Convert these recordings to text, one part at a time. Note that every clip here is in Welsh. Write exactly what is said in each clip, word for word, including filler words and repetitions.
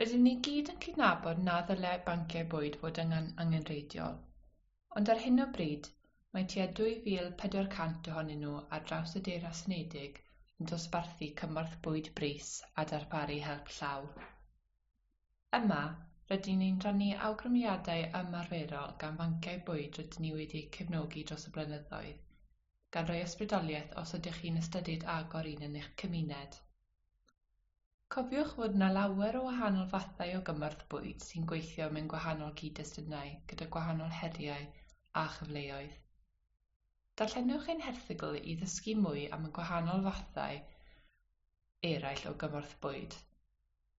Rydyn ni gyd yn cydnabod na ddylai banciau bwyd fod yn angenrheidiol, ond ar hyn o bryd mae tua dwy fil pedwar cant ohonyn nhw ar draws y Deyrnas Unedig yn dosbarthu cymorth bwyd brys a darparu help llaw. Yma, rydyn ni'n rhannu awgrymiadau ymarferol gan fanciau bwyd rydyn ni wedi cefnogi dros y blynyddoedd, gan roi ysbrydoliaeth os ydych chi'n ystyried agor un yn eich cymuned. Cofiwch fod yna lawer o wahanol fathau o gymorth bwyd sy'n gweithio mewn gwahanol gyd-destunau gyda gwahanol heriau a chyfleoedd. Darllenwch ein herthygl i ddysgu mwy am y gwahanol fathau eraill o gymorth bwyd,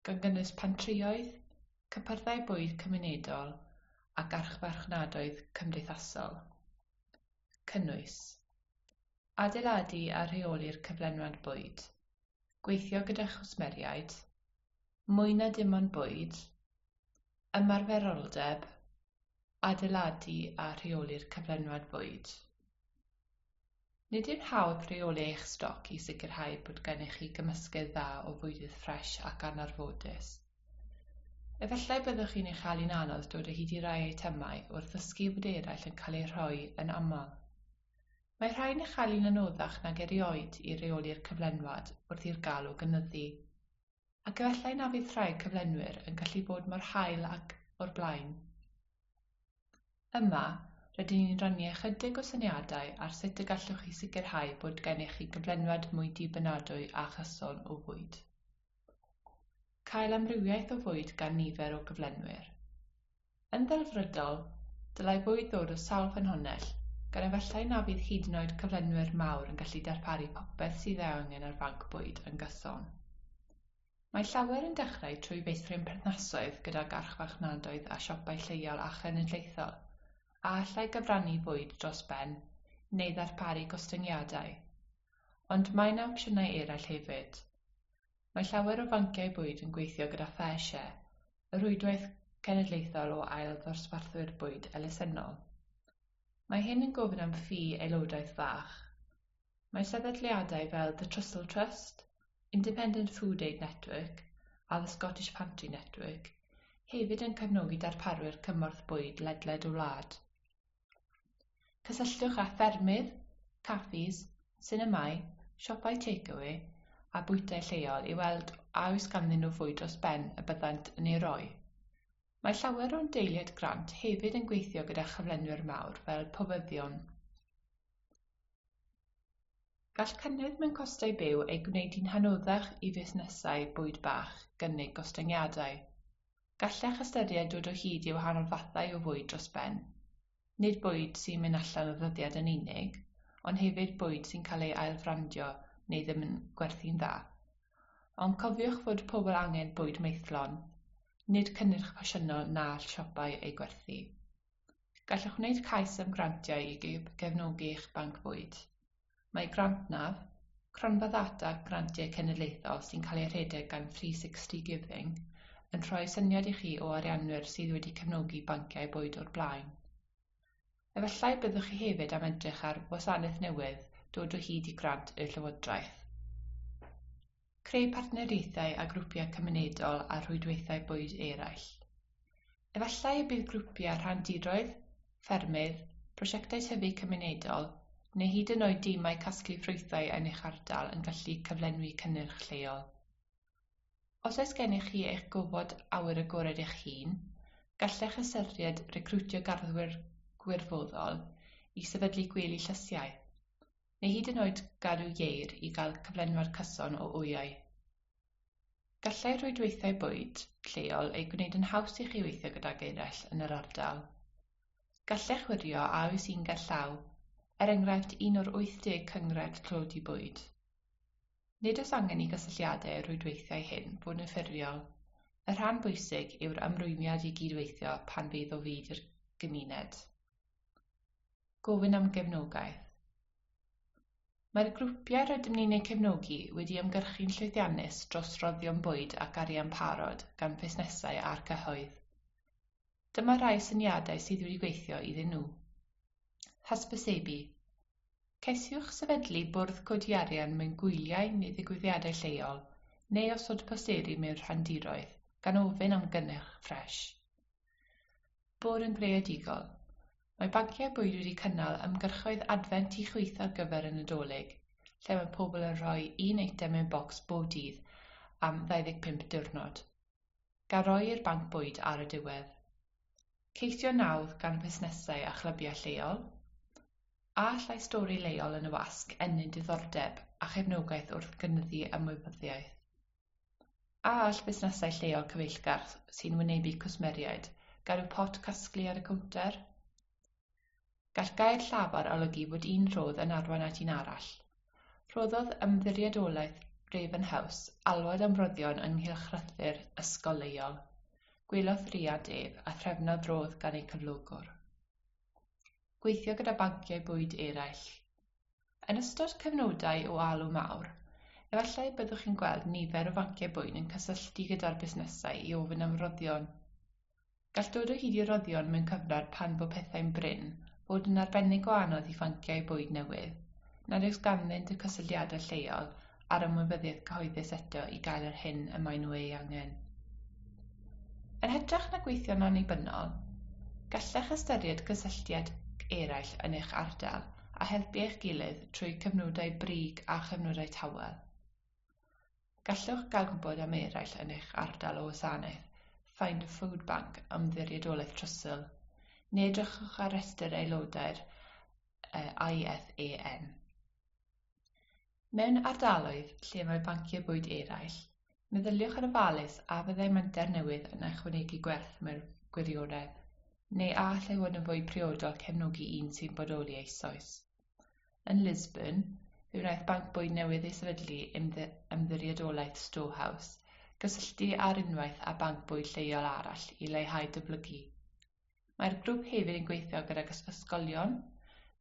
gan gynnwys pantrïoedd, cypyrddau bwyd cymunedol ac archfarchnadoedd cymdeithasol. Cynnwys: adeiladu a rheoli'r cyflenwad bwyd, gweithio gyda chwsmeriaid, mwy na dim ond bwyd, ymarferoldeb, adeiladu a rheoli'r cyflenwad bwyd. Nid yw'n hawdd rheoli eich stoc i sicrhau bod gennych chi gymysgedd dda o fwydydd ffres ac anarfodus. Efallai byddwch chi'n ei chael hi'n anodd dod o hyd i rai eitemau wrth ddysgu bod eraill yn cael eu rhoi yn aml. Mae rhai'n ei chael hi'n anoddach nag erioed i reoli'r cyflenwad wrth i'r galw gynyddu, ac efallai na fydd rhai cyflenwyr yn gallu bod mor hael ag o'r blaen. Yma, rydyn ni'n rhannu ychydig o syniadau ar sut y gallwch chi sicrhau bod gennych chi gyflenwad mwy dibynadwy a chyson o fwyd. Cael amrywiaeth o fwyd gan nifer o gyflenwyr. Yn ddelfrydol, dylai bwyd ddod o sawl ffynhonnell, gan efallai na fydd hyd yn oed cyflenwyr mawr yn gallu darparu popeth sydd ei angen ar fanc bwyd yn gyson. Mae llawer yn dechrau trwy feithrin perthnasoedd gydag archfarchnadoedd a siopau lleol a chenedlaethol, a allai gyfrannu bwyd dros ben neu ddarparu gostyngiadau. Ond mae yna opsiynau eraill hefyd. Mae llawer o fanciau bwyd yn gweithio gyda FareShare, y rhwydwaith cenedlaethol o ail ddosbarthwyr bwyd elusennol. Mae hyn yn gofyn am ffi aelodaeth fach. Mae sefydliadau fel The Trussell Trust, Independent Food Aid Network a The Scottish Pantry Network hefyd yn cefnogi darparwyr cymorth bwyd ledled y wlad. Cysylltwch â ffermydd, caffis, sinemâu, siopau takeaway a bwytai lleol i weld a oes ganddyn nhw fwyd dros ben y byddant yn ei roi. Mae llawer o'n deiliaid grant hefyd yn gweithio gyda chyflenwyr mawr fel pobyddion. Gall cynnydd mewn costau byw ei gwneud hi'n anoddach i fusnesau bwyd bach gynnig gostyngiadau. Gallech ystyried dod o hyd i wahanol fathau o fwyd dros ben. Nid bwyd sy'n mynd allan o ddyddiad yn unig, ond hefyd bwyd sy'n cael ei ailfrandio neu ddim yn gwerthu'n dda. Ond cofiwch fod pobl angen bwyd maethlon, nid cynnyrch ffasiynol na all siopau eu gwerthu. Gallwch wneud cais am grantiau i gefnogi eich banc bwyd. Mae GrantNav, cronfa ddata grantiau cenedlaethol sy'n cael ei rhedeg gan three sixty Giving, yn rhoi syniad i chi o arianwyr sydd wedi cefnogi banciau bwyd o'r blaen. Efallai byddwch chi hefyd am edrych ar wasanaeth newydd dod o hyd i grant y Llywodraeth. Creu partneriaethau a grwpiau cymunedol a rhwydweithiau bwyd eraill. Efallai y bydd grwpiau rhandiroedd, ffermydd, prosiectau tyfu cymunedol neu hyd yn oed dimau casglu ffrwythau yn eich ardal yn gallu cyflenwi cynnyrch lleol. Os oes gennych chi eich gofod awyr agored eich hun, gallech ystyried recriwtio garddwyr gwirfoddol i sefydlu gwely llysiau, neu hyd yn oed gadw ieir i gael cyflenwad cyson o wyau. Gallai rhwydweithiau bwyd lleol ei gwneud yn haws i chi weithio gydag eraill yn yr ardal. Gallech wirio a oes un gerllaw, er enghraifft un o'r wyth deg cynghrair tlodi bwyd. Nid oes angen i gysylltiadau i'r rhwydweithiau hyn fod yn ffurfiol. Y rhan bwysig yw'r ymrwymiad i gydweithio pan fydd o fudd i'r gymuned. Gofyn am gefnogaeth. Mae'r grwpiau rydym ni'n eu cefnogi wedi ymgyrchu'n llwyddiannus dros roddion bwyd ac arian parod gan fusnesau a'r cyhoedd. Dyma rai syniadau sydd wedi gweithio iddyn nhw. Hysbysebu. Ceisiwch sefydlu bwrdd codi arian mewn gwyliau neu ddigwyddiadau lleol, neu osod posteri mewn rhandiroedd. gan ofyn am gynnyrch ffres. Bod yn greadigol. Mae banciau bwyd wedi cynnal ymgyrchoedd adfent i chwith ar gyfer y Nadolig, lle mae pobl yn rhoi un eitem mewn bocs bob dydd am ddau ddeg pump diwrnod, gan roi i'r banc bwyd ar y diwedd. Ceisio nawdd gan fusnesau a chlybiau lleol. A allai stori leol yn y wasg ennyn diddordeb a chefnogaeth wrth gynyddu ymwybyddiaeth. A all busnesau lleol cyfeillgar sy'n wynebu cwsmeriaid gadw pot casglu ar y cownter? Gall gair llafar olygu bod un rhodd yn arwain at un arall. Rhoddodd Ymddiriedolaeth Raven House alwad am roddion ynghylch rhythu'r ysgol leol. Gwelodd riant ef a threfnodd rodd gan eu cyflogwr. Gweithio gyda banciau bwyd eraill. Yn ystod cyfnodau o alw mawr, efallai byddwch chi'n gweld nifer o fanciau bwyd yn cysylltu gyda'r busnesau i ofyn am roddion. Gall dod o hyd i roddion mewn cyfnod pan fo pethau'n brin fod yn arbennig o anodd i fanciau bwyd newydd, nad oes ganddynt y cysylltiadau lleol a'r ymwybyddiaeth cyhoeddus eto i gael yr hyn y maen nhw ei angen. Yn hytrach na gweithio'n annibynnol, gallech ystyried cysylltiad eraill yn eich ardal a helpu eich gilydd trwy cyfnodau brig a chyfnodau tawel. Gallwch gael gwybod am eraill yn eich ardal o wasanaeth Find a Food Bank Ymddiriedolaeth Trussell, neu edrychwch ar restr aelodau'r I F A N. Mewn ardaloedd lle mae banciau bwyd eraill, meddyliwch yn ofalus a fyddai menter newydd yn ychwanegu gwerth mewn gwirionedd, neu a allai fod yn fwy priodol cefnogi un sy'n bodoli eisoes. Yn Lisburn, fe wnaeth banc bwyd newydd ei sefydlu Ymddiriedolaeth Storehouse gysylltu ar unwaith â banc bwyd lleol arall i leihau dyblygu. Mae'r grŵp hefyd yn gweithio gydag ysgolion,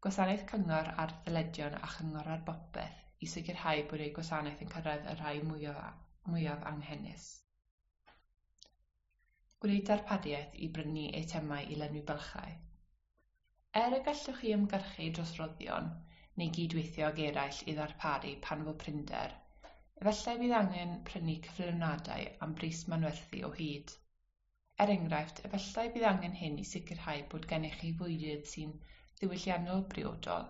gwasanaeth cyngor ar ddyledion a chyngor ar bopeth i sicrhau bod eu gwasanaeth yn cyrraedd y rhai mwyaf, mwyaf anghenus. Gwneud darpariaeth i brynu eitemau i lenwi bylchau. Er y gallwch chi ymgyrchu dros roddion neu gydweithio ag eraill i ddarparu pan fo prinder, efallai bydd angen prynu cyflenwadau am bris manwerthu o hyd. Er enghraifft, efallai bydd angen hyn i sicrhau bod gennych chi fwydydd sy'n ddiwylliannol briodol,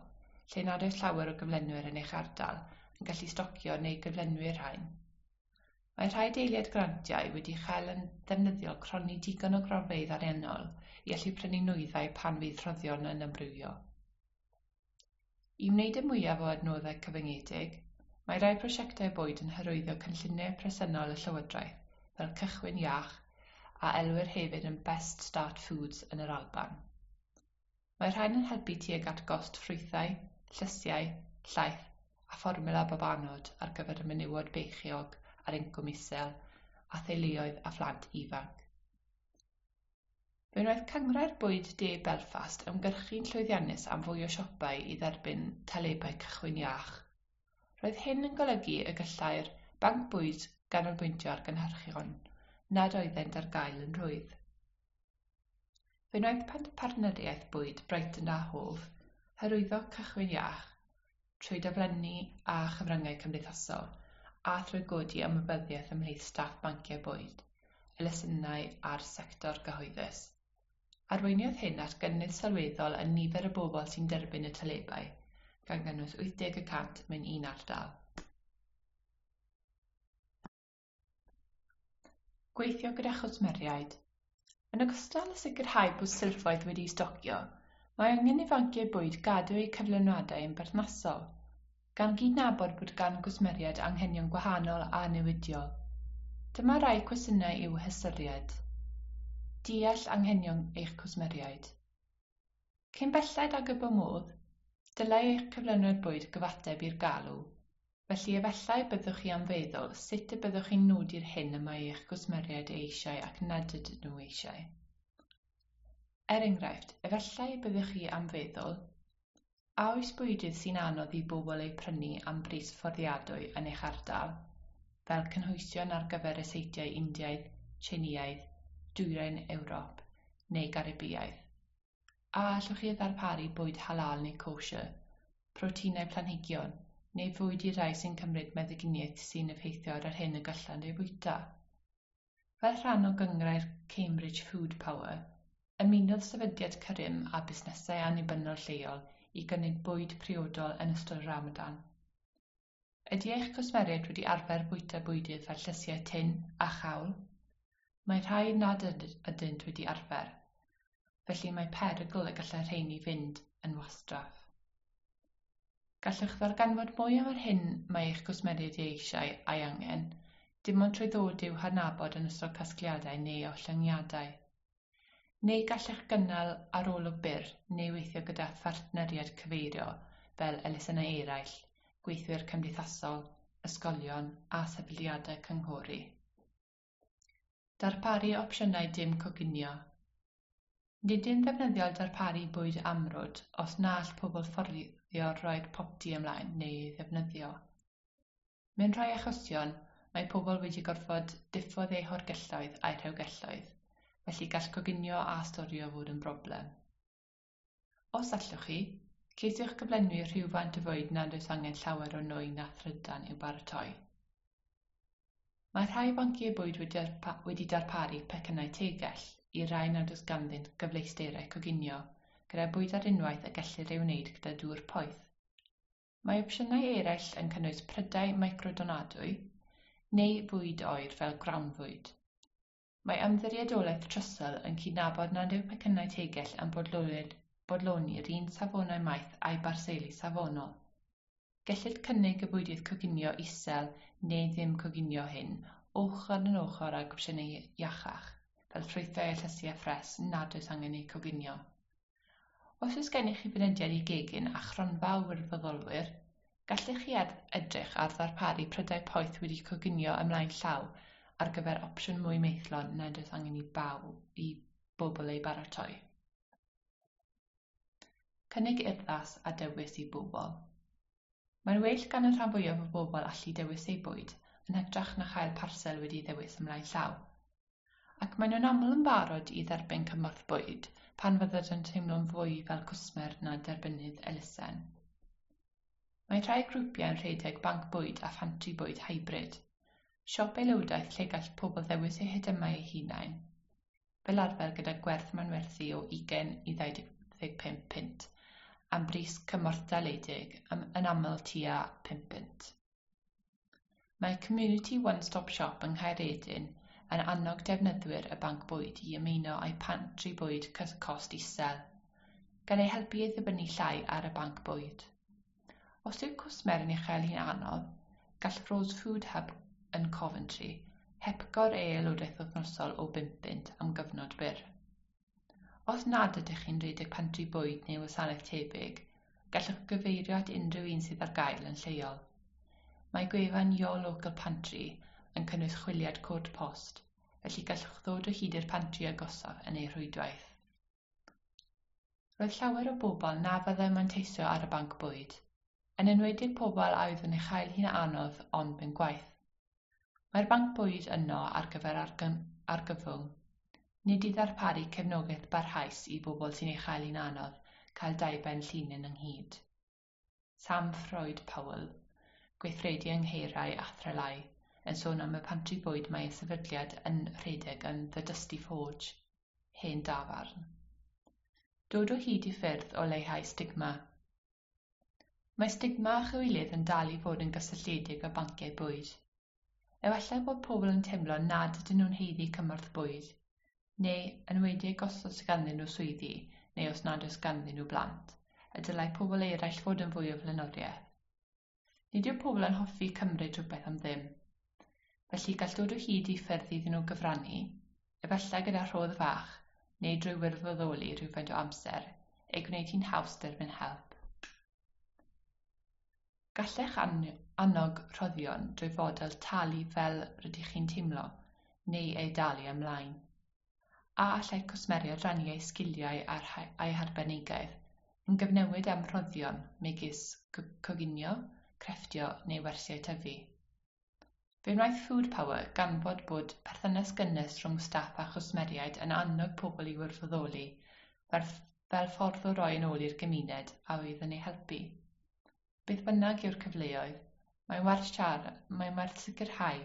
lle nad oes llawer o gyflenwyr yn eich ardal yn gallu stocio neu gyflenwi'r rhain. Mae rhai deiliad grantiau wedi chael yn ddefnyddiol cronni digon o gronfeydd ariannol i allu prynu nwyddau pan fydd rhoddion yn amrywio. I wneud y mwyaf o adnoddau cyfyngedig, mae rhai prosiectau bwyd yn hyrwyddo cynlluniau presennol y Llywodraeth fel Cychwyn Iach a elwir hefyd yn Best Start Foods yn yr Alban. Mae rhain yn helpu tuag at gost ffrwythau, llysiau, llaeth a fformiwla babanod ar gyfer y menywod beichiog ar incwm isel a theuluoedd a phlant ifanc. Fe wnaeth Cynghrair Bwyd De Belfast ymgyrchu'n llwyddiannus am fwy o siopau i dderbyn talebau cychwyn iach. Roedd hyn yn golygu y gallai'r banc bwyd ganolbwyntio ar gynhyrchion nad oeddent ar gael yn rhwydd. Fe wnaeth partneriaeth bwyd Brighton a Hove hyrwyddo cychwyn iach trwy daflenni a chyfryngau cymdeithasol a thrwy godi ymwybyddiaeth ymhlith staff banciau bwyd, elusennau a'r sector gyhoeddus. Arweiniodd hyn at gynnydd sylweddol yn nifer y bobl sy'n derbyn y talebau, gan gynnwys wyth deg y cant mewn un ardal. Gweithio gyda chwsmeriaid. Yn ogystal â sicrhau bod silffoedd wedi'u stocio, mae angen i fanciau bwyd gadw eu cyflenwadau yn berthnasol, gan gydnabod bod gan gwsmeriaid anghenion gwahanol a newidiol. Dyma rai cwestiynau i'w hystyried. Deall anghenion eich cwsmeriaid. Cyn belled ag y bo modd, dylai eich cyflenwad bwyd gyfateb i'r galw, felly efallai byddwch chi am feddwl sut y byddwch chi'n nodi'r hyn y mae eich cwsmeriaid ei eisiau ac nad ydyn nhw eisiau. Er enghraifft, efallai byddwch chi am feddwl, a oes bwydydd sy'n anodd i bobl eu prynu am bris fforddiadwy yn eich ardal, fel cynhwysion ar gyfer ryseitiau Indiaidd, Tsieineaidd, Dwyrain Ewrop neu Garibiaidd? A allwch chi ddarparu bwyd halal neu kosher, proteinau planhigion, neu fwyd i rai sy'n cymryd meddyginiaeth sy'n effeithio ar yr hyn y gallant ei fwyta? Fel rhan o gynghrair Cambridge Food Power, ymunodd Sefydliad Careem â busnesau annibynnol lleol i gynnig bwyd priodol yn ystod y Ramadan. Ydy eich cwsmeriaid wedi arfer bwyta bwydydd fel llysiau tun a chawl? Mae rhai nad ydynt wedi arfer, felly mae perygl y gallai rheini fynd yn wastraff. Gallwch ddarganfod mwy am yr hyn mae eich cwsmeriaid ei eisiau a'i angen, dim ond trwy ddod i'w hadnabod yn ystod casgliadau neu ollyngiadau. Neu gallech gynnal arolwg byr neu weithio gyda phartneriaid cyfeirio fel elusennau eraill, gweithwyr cymdeithasol, ysgolion a sefydliadau cynghori. Darparu opsiynau dim coginio. Nid yw'n ddefnyddiol darparu bwyd amrwd os na all pobl fforddio roi'r popty ymlaen neu ei ddefnyddio. Mewn rhai achosion, mae pobl wedi gorfod diffodd eu hoergelloedd a'u rhewgelloedd, felly gall coginio a storio fod yn broblem. Os allwch chi, ceisiwch gyflenwi rhywfaint o fwyd nad oes angen llawer o nwy na thrydan i'w baratoi. Mae rhai banciau bwyd wedi darparu pecynnau tegell i rai nad oes ganddynt gyfleusterau coginio, gyda bwyd ar unwaith y gellir ei wneud gyda dŵr poeth. Mae opsiynau eraill yn cynnwys prydau microdonadwy neu fwyd oer fel grawnfwyd. Mae Ymddiriedolaeth Trussell yn cydnabod nad yw pecynnau tegell yn bodloni'r un safonau maeth a'u barseli safonol. Gellir cynnig y bwydydd coginio isel neu ddim coginio hyn ochr yn ochr ag opsiynau iachach, fel ffrwythau a llysiau ffres nad oes angen eu coginio. Os oes gennych chi fynediad i gegin a chronfa o wirfoddolwyr, gallech chi edrych ar ddarparu prydau poeth wedi coginio ymlaen llaw ar gyfer opsiwn mwy maethlon nad oes angen i baw i bobl ei baratoi. Cynnig urddas a dewis i bobl. Mae'n well gan y rhan fwyaf o bobl allu dewis eu bwyd yn hytrach na chael parsel wedi ddewis ymlaen llaw. Ac maen nhw'n aml yn barod i dderbyn cymorth bwyd pan fyddant yn teimlo'n fwy fel cwsmer na derbynnydd elusen. Mae rhai grwpiau yn rhedeg banc bwyd a phantri bwyd hybrid, siop aelodaeth lle gall pobl ddewis eu heitemau eu hunain, fel arfer gyda gwerth manwerthu o ugain i ddau ddeg pump punt, am bris cymorthdaledig yn aml tua pump punt. Mae Community One Stop Shop yng Nghaeredin yn annog defnyddwyr y banc bwyd i ymuno â'u pantri bwyd cost isel, gan eu helpu i ddibynnu llai ar y banc bwyd. Os yw cwsmer yn ei chael hi'n anodd, gall Rose Food Hub yn Coventry hepgor ei aelodaeth wythnosol o bump punt am gyfnod byr. Os nad ydych chi'n rhedeg pantri bwyd neu wasanaeth tebyg, gallwch gyfeirio at unrhyw un sydd ar gael yn lleol. Mae gwefan Your Local Pantry yn cynnwys chwiliad cod post, felly gallwch ddod o hyd i'r pantri agosaf yn ei rhwydwaith. Roedd llawer o bobl na fyddai'n manteisio ar y banc bwyd, yn enwedig pobl a oedd yn ei chael hi'n anodd ond mewn gwaith. Mae'r banc bwyd yno ar gyfer argyfwng, nid i ddarparu cefnogaeth barhaus i bobl sy'n ei chael hi'n anodd cael dau ben llinyn ynghyd. Sam Freud Powell, gweithredu yng Nghaerau a Threlai, yn sôn am y pantri bwyd mae ei sefydliad yn rhedeg yn The Dusty Forge, hen dafarn. Dod o hyd i ffyrdd o leihau stigma. Mae stigma a chywilydd yn dal i fod yn gysylltiedig â banciau bwyd. Efallai bod pobl yn teimlo nad ydyn nhw'n haeddu cymorth bwyd, neu yn enwedig os oes ganddyn nhw swyddi neu os nad oes ganddyn nhw blant, y dylai pobl eraill fod yn fwy o flaenoriaeth. Nid yw pobl yn hoffi cymryd rhywbeth am ddim. Felly gall dod o hyd i ffyrdd iddyn nhw gyfrannu, efallai gyda rhodd fach neu drwy wirfoddoli rhywfaint o amser, ei gwneud hi'n haws derbyn help. Gallech annog rhoddion drwy fodel talu fel rydych chi'n teimlo, neu ei dalu ymlaen. A allai cwsmeriaid rannu eu sgiliau a'u harbenigedd yn gyfnewid am rhoddion megis coginio, crefftio neu wersiau tyfu. Fe wnaeth Food Power ganfod bod perthynas gynnes rhwng staff a chwsmeriaid yn annog pobl i wirfoddoli fel, fel ffordd o roi yn ôl i'r gymuned a oedd yn eu helpu. Beth bynnag yw'r cyfleoedd, mae'n werth siarad, mae'n werth sicrhau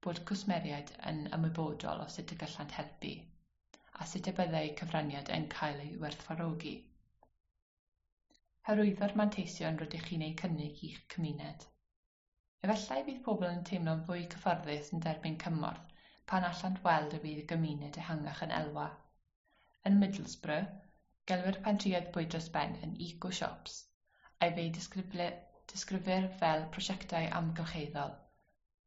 bod cwsmeriaid yn ymwybodol o sut y gallant helpu, a sut y byddai cyfraniad yn cael ei werthfawrogi. Hyrwyddo'r manteision rydych chi'n eu cynnig i'ch cymuned. Efallai bydd pobl yn teimlo'n fwy cyfforddus yn derbyn cymorth pan allant weld y bydd y gymuned ehangach yn elwa. Yn Middlesbrough, gelwir pantrïoedd bwyd dros ben yn eco-shops, a fe'u disgrifir fel prosiectau amgylcheddol,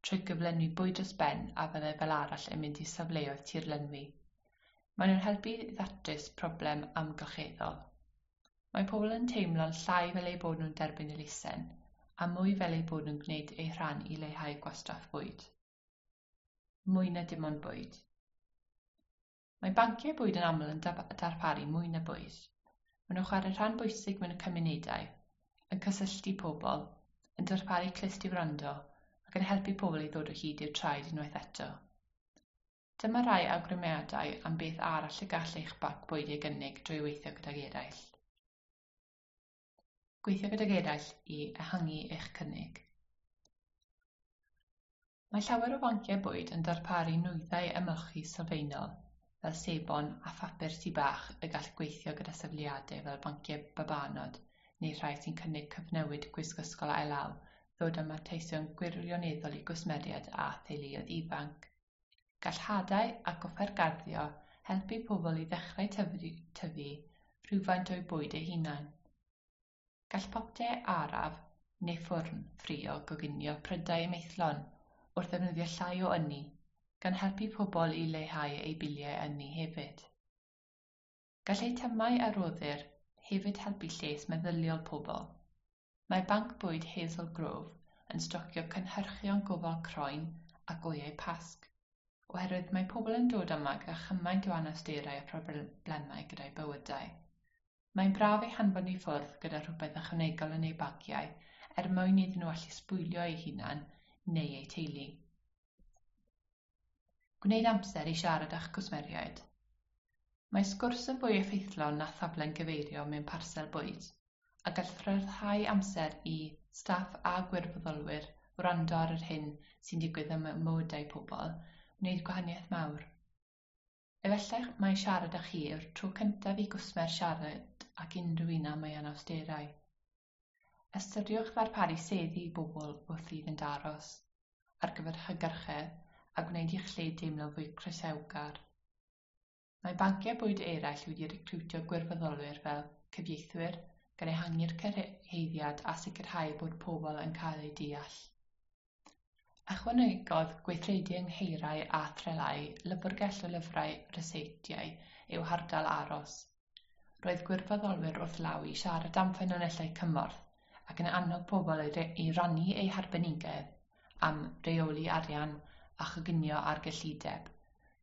trwy gyflenwi bwyd dros ben a fyddai fel arall yn mynd i safleoedd tirlenwi. Maen nhw'n helpu i ddatrys problem amgylcheddol. Mae pobl yn teimlo'n llai fel eu bod nhw'n derbyn elusen, a mwy fel eu bod nhw'n gwneud eu rhan i leihau gwastraff bwyd. Mwy na dim ond bwyd. Mae banciau bwyd yn aml yn darparu mwy na bwyd. Maen nhw'n chwarae rhan bwysig mewn cymunedau, yn cysylltu pobl, yn darparu clust i wrando, ac yn helpu pobl i ddod o hyd i'w traed unwaith eto. Dyma rai awgrymiadau am beth arall y gall eich banc bwyd ei gynnig drwy weithio gydag eraill. Gweithio gydag eraill i ehangu eich cynnig. Mae llawer o fanciau bwyd yn darparu nwyddau ymolchi sylfaenol fel sebon a phapur tŷ bach y gall gweithio gyda sefydliadau fel banciau babanod neu rhai sy'n cynnig cyfnewid gwisg ysgol ail-law ddod â manteision gwirioneddol i gwsmeriaid a theuluoedd ifanc. Gall hadau ac offer garddio helpu pobl i ddechrau tyfu, tyfu rhywfaint o'u bwyd eu hunain. Gall popty araf neu ffwrn ffrio goginio prydau maethlon wrth ddefnyddio llai o ynni, gan helpu pobl i leihau eu biliau ynni hefyd. Gall eitemau a roddir hefyd helpu lles meddyliol pobl. Mae Banc Bwyd Hazel Grove yn stocio cynhyrchion gofal croen ac wyau Pasg, oherwydd mae pobl yn dod yma gyda chymaint o anawsterau a phroblemau gyda'u bywydau. Mae'n braf eu hanfon i ffwrdd gyda rhywbeth ychwanegol yn eu bagiau er mwyn iddyn nhw allu sbwylio eu hunain neu eu teulu. Gwneud amser i siarad â'ch cwsmeriaid. Mae sgwrs yn fwy effeithlon na thaflen gyfeirio mewn parsel bwyd, a gall rhyddhau amser i staff a gwirfoddolwyr wrando ar yr hyn sy'n digwydd ym mywydau pobl wneud gwahaniaeth mawr. Efallai mai siarad â chi yw'r tro cyntaf i gwsmer siarad ac unrhyw un am ei anawsterau. Ystyriwch ddarparu seddi i bobl wrth iddynt aros, ar gyfer hygyrchedd a gwneud i'ch lle deimlo fwy croesawgar. Mae banciau bwyd eraill wedi recriwtio gwirfoddolwyr fel cyfieithwyr, gan ehangu'r cyrhaeddiad a sicrhau bod pobl yn cael eu deall. Ychwanegodd gweithredu yng Nghaerau a Threlái lyfrgell o lyfrau ryseitiau i'w hardal aros. Roedd gwirfoddolwyr wrth law i siarad am ffynonellau cymorth ac yn annog pobl i rannu eu harbenigedd am reoli arian a choginio ar gyllideb,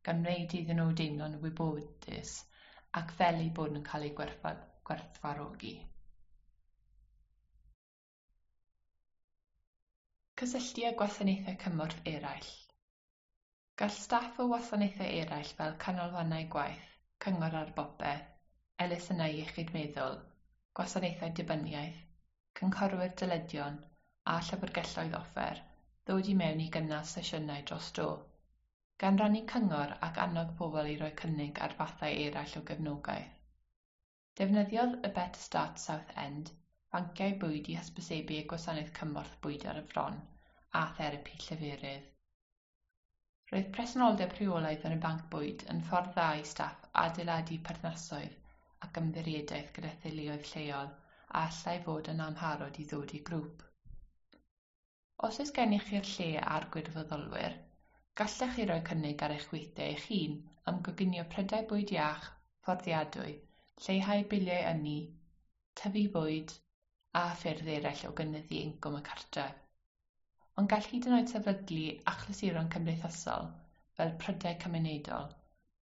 gan wneud iddyn nhw deimlo'n wybodus ac fel eu bod nhw'n cael eu gwerthfawrogi. Cysylltu â gwasanaethau cymorth eraill. Gall staff o wasanaethau eraill fel canolfannau gwaith, cyngor ar bopeth, elusennau iechyd meddwl, gwasanaethau dibyniaeth, cynghorwyr dyledion a llyfrgelloedd offer ddod i mewn i gynnal sesiynau dros dro, gan rannu cyngor ac annog pobl i roi cynnig ar fathau eraill o gefnogaeth. Defnyddiodd y Better Start South End banciau bwyd i hysbysebu eu gwasanaeth cymorth bwyd ar y fron a therapi lleferydd. Roedd presenoldeb rheolaidd yn y banc bwyd yn ffordd dda i staff adeiladu perthnasoedd ac ymddiriedaeth gyda theuluoedd lleol a allai fod yn amharod i ddod i grŵp. Os oes gennych chi'r lle a'r gwirfoddolwyr, gallech chi roi cynnig ar eich gweithiau eich hun am goginio prydau bwyd iach, fforddiadwy, lleihau biliau ynni, tyfu bwyd a ffyrdd eraill o gynyddu incwm y cartref. Ond gall hyd yn oed sefydlu achlysuron cymdeithasol, fel prydau cymunedol,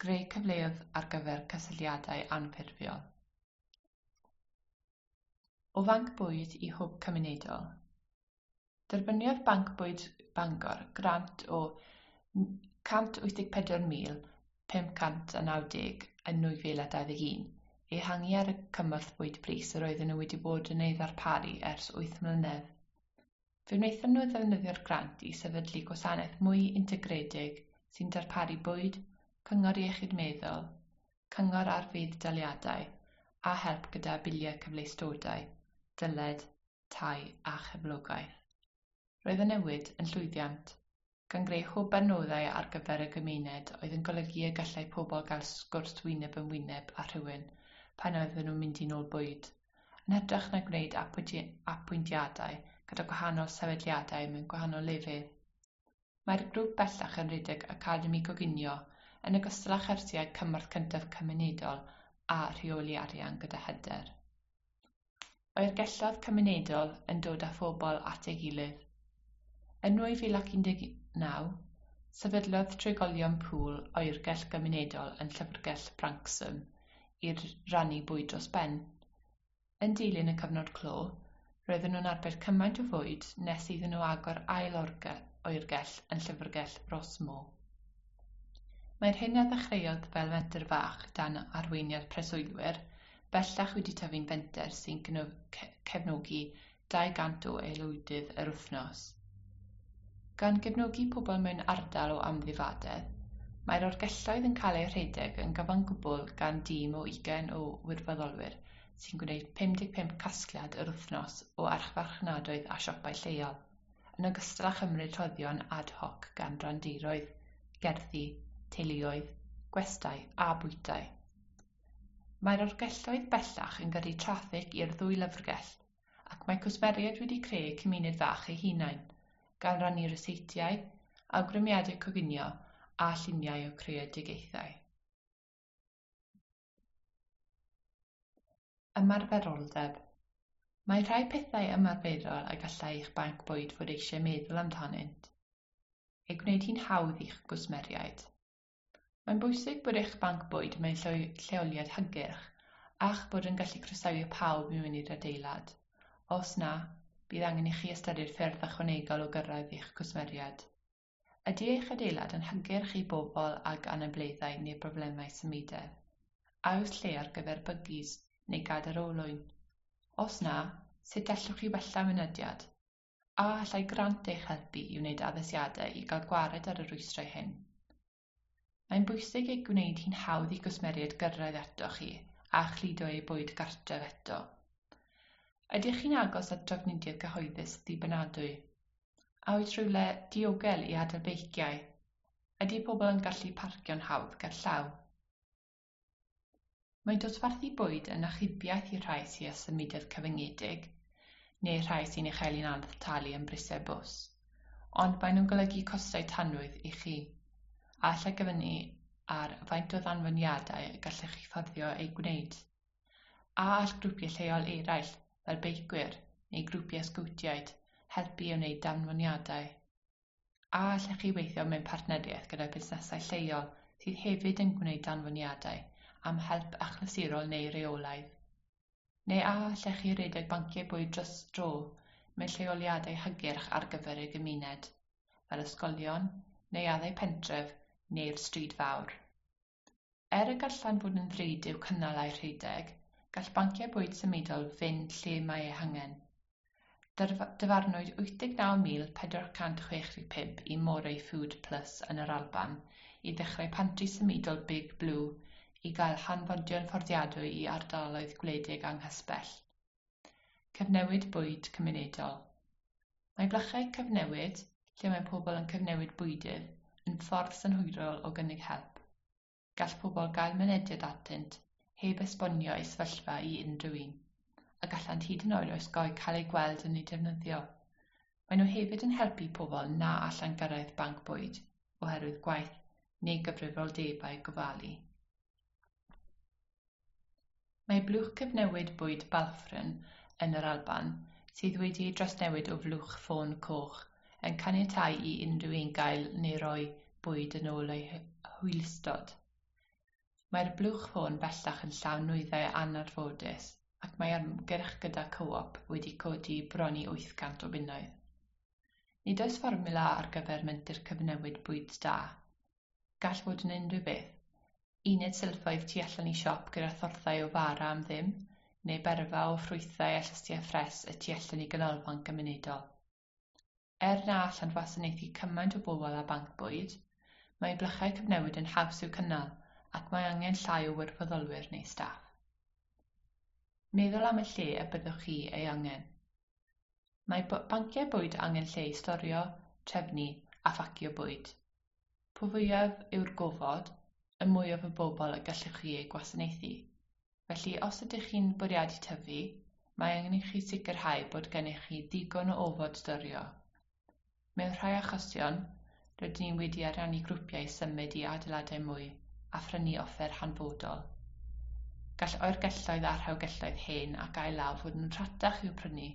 greu cyfleoedd ar gyfer cysylltiadau anffurfiol. O fanc bwyd i hwb cymunedol. Derbyniodd Banc Bwyd Bangor grant o cant wyth deg pedwar mil pump cant a naw deg yn nwy fil a dau ddeg un, ehangu ar y cymorth bwyd brys yr oedden nhw wedi bod yn ei ddarparu ers wyth mlynedd. Fe wnaethon nhw ddefnyddio'r grant i sefydlu gwasanaeth mwy integredig sy'n darparu bwyd, cyngor iechyd meddwl, cyngor ar fudd-daliadau a help gyda biliau cyfleustodau, dyled, tai a chyflogaeth. Roedd y newid yn llwyddiant, gan greu hwb adnoddau ar gyfer y gymuned oedd yn golygu y gallai pobl gael sgwrs wyneb yn wyneb â rhywun pan oedden nhw'n mynd i nôl bwyd, yn hytrach na gwneud apwyntiadau gyda gwahanol sefydliadau mewn gwahanol lefydd. Mae'r grŵp bellach yn rhedeg Academi Coginio yn ogystal â chyrsiau cymorth cyntaf cymunedol a rheoli arian gyda hyder. Oergelloedd cymunedol yn dod â phobl at ei gilydd. Yn nwy fil ac un deg naw, sefydlodd trigolion Pŵl oergell gymunedol yn llyfrgell Branksome i rannu bwyd dros ben. Yn dilyn y cyfnod clo, roedden nhw'n arbed cymaint o fwyd nes iddyn nhw agor ail oergell yn llyfrgell Rossmore. Mae'r hyn a ddechreuodd fel menter fach dan arweiniad preswylwyr bellach wedi tyfu'n fenter sy'n cefnogi dau gant o aelwydydd yr wythnos. Gan gefnogi pobl mewn ardal o amddifadedd, mae'r oergelloedd yn cael eu rhedeg yn gyfan gwbl gan dîm o ugain o wirfoddolwyr sy'n gwneud pum deg pump casgliad yr wythnos o archfarchnadoedd a siopau lleol, yn ogystal â chymryd rhoddion ad hoc gan randiroedd, gerddi, teuluoedd, gwestai a bwytai. Mae'r oergelloedd bellach yn gyrru traffig i'r ddwy lyfrgell, ac mae cwsmeriaid wedi creu cymuned fach eu hunain, gan rannu ryseitiau, awgrymiadau coginio a lluniau o creadigaethau. Ymarferoldeb. Mae rhai pethau ymarferol y gallai eich banc bwyd fod eisiau meddwl amdanynt. Ei gwneud hi'n hawdd i'ch gwsmeriaid. Mae'n bwysig bod eich banc bwyd mewn lleoliad hygyrch a'ch bod yn gallu croesawu pawb i mewn i'r adeilad. Os na, bydd angen i chi ystyried ffyrdd ychwanegol o gyrraedd eich cwsmeriaid. Ydy eich adeilad yn hygyrch i bobl ag anableddau neu broblemau symudedd? A oes lle ar gyfer bygis neu gadair olwyn? Os na, sut allwch chi wella mynediad? A allai grant eich helpu i wneud addasiadau i gael gwared ar y rhwystrau hyn? Mae'n bwysig ei gwneud hi'n hawdd i gwsmeriaid gyrraedd atoch chi a chludo eu bwyd gartref eto. Ydych chi'n agos at drafnidiaeth gyhoeddus ddibynadwy? A oes rhywle diogel i adael beiciau? Ydy pobl yn gallu parcio'n hawdd gerllaw? Mae dosbarthu bwyd yn achubiaeth i'r rhai sydd â symudedd cyfyngedig, neu rhai sy'n ei chael hi'n anodd talu am brisiau bws, ond maen nhw'n golygu costau tanwydd i chi, a allai gyfyngu ar faint o ddanfoniadau y gallech chi fforddio eu gwneud. A all grwpiau lleol eraill, fel beicwyr neu grwpiau sgowtiaid, helpu i wneud danfoniadau. A allech chi weithio mewn partneriaeth gyda busnesau lleol sydd hefyd yn gwneud danfoniadau am help achlysurol neu reolaidd. Neu a allech chi redeg banciau bwyd dros dro mewn lleoliadau hygyrch ar gyfer y gymuned, fel ysgolion, neuaddau pentref neu'r stryd fawr. Er y gallan fod yn ddrud i'w cynnal a'u rhedeg, gall banciau bwyd symudol fynd lle mae eu hangen. Dyfarnwyd wyth deg naw mil pedwar cant chwech deg pump i Moray Food Plus yn yr Alban i ddechrau pantri symudol Big Blue i gael hanfodion fforddiadwy i ardaloedd gwledig anghysbell. Cyfnewid bwyd cymunedol. Mae blychau cyfnewid, lle mae pobl yn cyfnewid bwydydd, yn ffordd synhwyrol o gynnig help. Gall pobl gael mynediad atynt heb esbonio eu sefyllfa i unrhyw un, a gallant hyd yn oed osgoi cael eu gweld yn eu defnyddio. Maen nhw hefyd yn helpu pobl na allan gyrraedd banc bwyd oherwydd gwaith neu gyfrifoldebau gofalu. Mae blwch cyfnewid bwyd Balfron yn yr Alban, sydd wedi ei drawsnewid o flwch ffôn coch, yn caniatáu i unrhyw un gael neu roi bwyd yn ôl eu hwylustod. Mae'r blwch ffôn bellach yn llawn nwyddau anarfodus ac mae ymgyrch gyda Co-op wedi codi bron i wyth cant o bunnoedd. Nid oes fformiwla ar gyfer menter cyfnewid bwyd da. Gall fod yn unrhyw beth. Uned silffoedd tu allan i siop gyda thorthau o fara am ddim, neu berfa o ffrwythau a llysiau ffres y tu allan i ganolfan gymunedol. Er na allant wasanaethu cymaint o bobl â banc bwyd, mae blychau cyfnewid yn haws i'w cynnal ac mae angen llai o wirfoddolwyr neu staff. Meddwl am y lle y byddwch chi ei angen. Mae banciau bwyd angen lle i storio, trefnu a phacio bwyd. Po fwyaf yw'r gofod, y mwyaf o bobl y gallwch chi eu gwasanaethu. Felly, os ydych chi'n bwriadu tyfu, mae angen i chi sicrhau bod gennych chi ddigon o ofod storio. Mewn rhai achosion, rydyn ni wedi ariannu grwpiau i symud i adeiladau mwy a phrynu offer hanfodol. Gall oergelloedd a rhewgelloedd hen ac ail-law fod yn rhatach i'w prynu,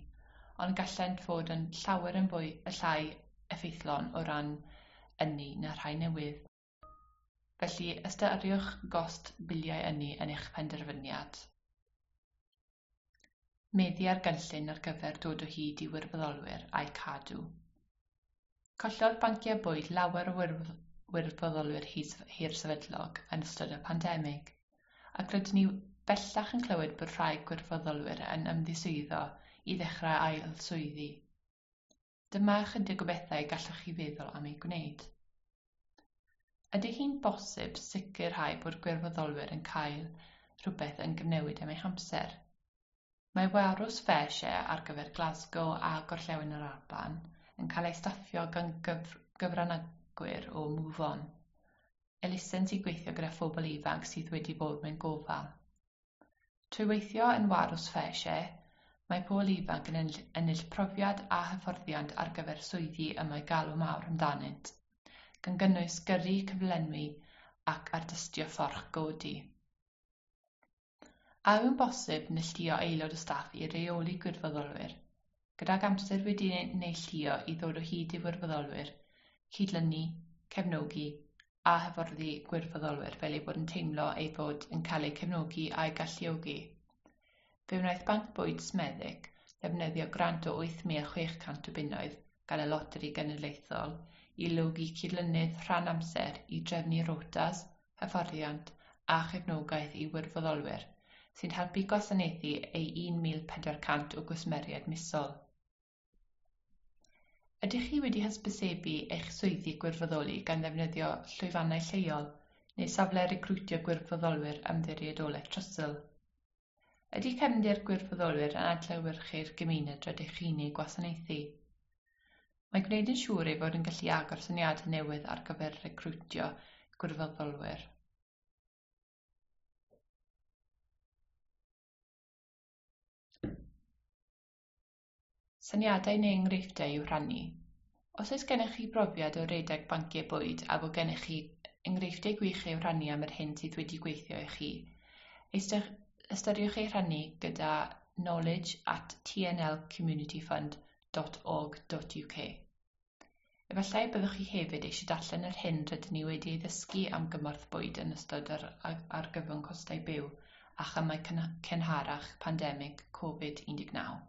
ond gallent fod yn llawer yn fwy y llai effeithlon o ran ynni na rhai newydd. Felly, ystyriwch gost biliau ynni yn eich penderfyniad. Meddu ar gynllun ar gyfer dod o hyd i wirfoddolwyr a'u cadw. Collodd banciau bwyd lawer o wirfoddolwyr hirsefydlog yn ystod y pandemig, ac rydyn ni bellach yn clywed bod rhai gwirfoddolwyr yn ymddiswyddo i ddechrau ail swyddi. Dyma ychydig o bethau gallwch chi feddwl am eu gwneud. Ydy hi'n bosib sicrhau bod gwirfoddolwyr yn cael rhywbeth yn gyfnewid am eu hamser? Mae warws FareShare ar gyfer Glasgow a Gorllewin yr Alban yn cael ei staffio gan gyf gyfranogwyr o Move On, elusen sy'n gweithio gyda phobl ifanc sydd wedi bod mewn gofal. Trwy weithio yn warws FareShare, mae pobl ifanc yn ennill profiad a hyfforddiant ar gyfer swyddi y mae galw mawr amdanynt, gan gynnwys gyrru, cyflenwi ac ardystio fforch godi. A yw'n bosib neilltuo aelod o staff i reoli gwirfoddolwyr, gydag amser wedi neilltuo i ddod o hyd i wirfoddolwyr, cydlynu, cefnogi a hyfforddi gwirfoddolwyr fel eu bod yn teimlo eu bod yn cael eu cefnogi a'u galluogi? Fe wnaeth Banc Bwyd Smethwick ddefnyddio grant o wyth mil chwech cant o bunnoedd gan y Loteri Genedlaethol i logi cydlynydd rhan amser i drefnu rotas, hyfforddiant a chefnogaeth i wirfoddolwyr sy'n helpu gwasanaethu ei un mil pedwar cant o gwsmeriaid misol. Ydych chi wedi hysbysebu eich swyddi gwirfoddoli gan ddefnyddio llwyfannau lleol neu safle recriwtio gwirfoddolwyr Ymddiriedolaeth Trussell? Ydy cefndir gwirfoddolwyr yn adlewyrchu'r gymuned rydych chi'n ei gwasanaethu? Mae gwneud yn siŵr ei fod yn gallu agor syniadau newydd ar gyfer recriwtio gwirfoddolwyr. Syniadau neu enghreifftiau i'w rhannu. Os oes gennych chi brofiad o redeg banciau bwyd a bod gennych chi enghreifftiau gwych i'w rhannu am yr hyn sydd wedi gweithio i chi, ystyriwch eu rhannu gyda knowledge at t n l community fund dot org dot u k. Efallai byddwch chi hefyd eisiau darllen yr hyn rydyn ni wedi ei ddysgu am gymorth bwyd yn ystod yr argyfwng costau byw a chamau cynharach pandemig Covid un deg naw.